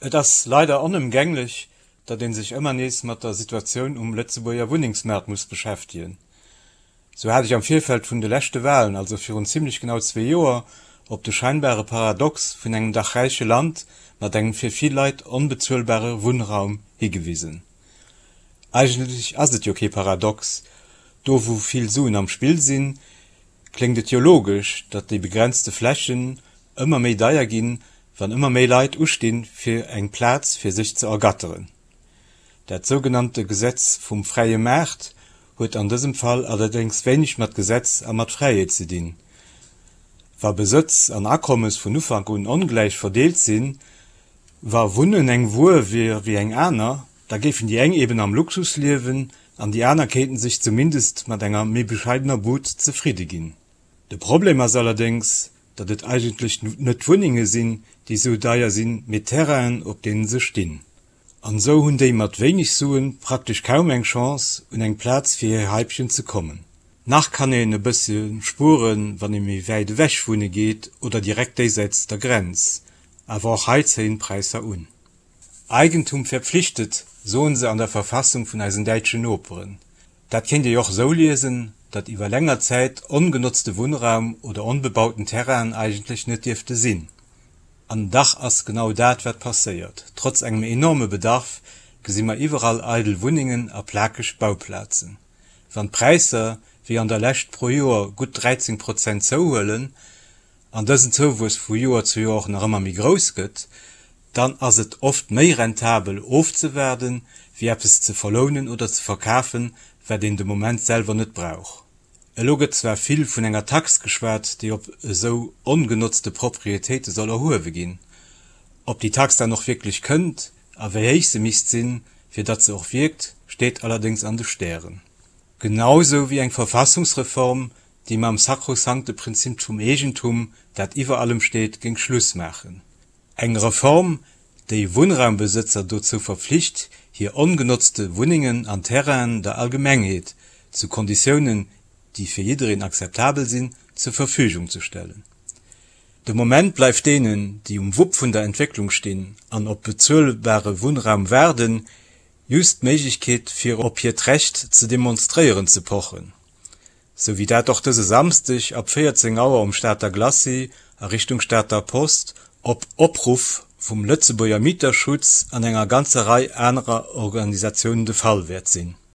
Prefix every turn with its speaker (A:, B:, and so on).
A: Et ass leider onëmgänglech, datt ee sech ëmmer nees mat der Situatioun um Lëtzebuerger Wunnengsmaart muss beschäftegen. Sou hat ech am Virfeld vun de leschte Walen, also virun zimmlech genau zwee Joer, op de scheinbare Paradox vun engem dach räiche Land mat engem fir vill Leit onbezuelbare Wunnraum higewisen. Eigentlech ass et jo kee Paradox, do wou vill Suen am Spill sinn, kléngt et jo logesch, datt déi begrenzte Flächen ëmmer méi deier ginn, wann ëmmer méi Leit ustinn, fir eng Plaz fir sech ze ergatteren. Dat sougenannte Gesetz vum fräie Maart huet an dësem Fall allerdéngs wéineg mat Gesetz a mat Fräiheet ze dinn. Wa Besëtz an Akommes vun Ufank un ongläich verdeelt sinn, wa Wunnen eng Wuer wier wéi eng aner, da géifen déi eng eben am Luxus liewen an déi aner kéinten sech zumindest mat enger méi bescheidener Bud zefridde ginn. De Problem ass allerdéngs, datt et eigentlech net d'Wunnenge sinn, déi sou deier sinn, mee d'Terrainen, op deene se stinn. An esou hunn déi mat wéineg Suen praktesch kaum eng Chance, un eng Plaz fir hir Haipchen ze kommen. Nach kann een e bësse spueren, wann ee méi wäit ewech wunne geet oder direkt déisäits der Grenz, awer och hei zéien d'Präisser un. Eigentum verpflichtet, soen se an der Verfassung vun eisen däitschen Noperen. Dat kéint ee och esou liesen, datt iwwer länger Zäit ongenotzte Wunnraum oder onbebauten Terrainen eigentlech net dierfte sinn. An dach ass genau dat wat passéiert. Trotz engem enorme Bedarf gesi mer iwwerall eidel Wunnengen a plakeg Bauplazen. Wann d'Präisser, wéi an der Lescht pro Joer gutt 13 Prozent zouhuelen, an dësen Zouwuess vu Joer zu Joer och nach ëmmer méi grouss gëtt, dann ass et oft méi rentabel ofzewaarden, wéi eppes ze verlounen oder ze verkafen, wat een de Moment selwer net brauch. Elo gëtt zwar vill vun enger Tax geschwat, déi op esou ongenotzte Proprietéite soll erhuewe ginn. Ob déi Tax dann och wierklech kënnt a wéi héich se misst sinn, fir datt se och wierkt, steet allerdéngs an de Stären. Genau sou wéi eng Verfassungsreform, déi mam sakrosankte Prinzip vum Eegentum, dat iwwer allem steet, géing Schluss maachen. Eng Reform, déi Wunnraumbesëtzer dozou verpflicht, hir ongenotzte Wunnengen an Terrainen der Allgemengheet, zu Konditiounen, déi fir jiddereen akzeptabel sinn, zur Verfügung ze stellen. De Moment bleift deenen, déi um Wupp vun der Entwécklung stinn an op bezuelbare Wunnraum waarden, just d'Méiglechkeet fir op hiert Recht ze demonstréieren ze pochen. Sou wéi dat och dëse Samsdeg ab 14 Auer um Stater Glacis a Richtung Stater Post op Opruff vum Lëtzebuerger Mieterschutz an enger ganzer Rei anerer Organisatiounen de Fall wäert sinn.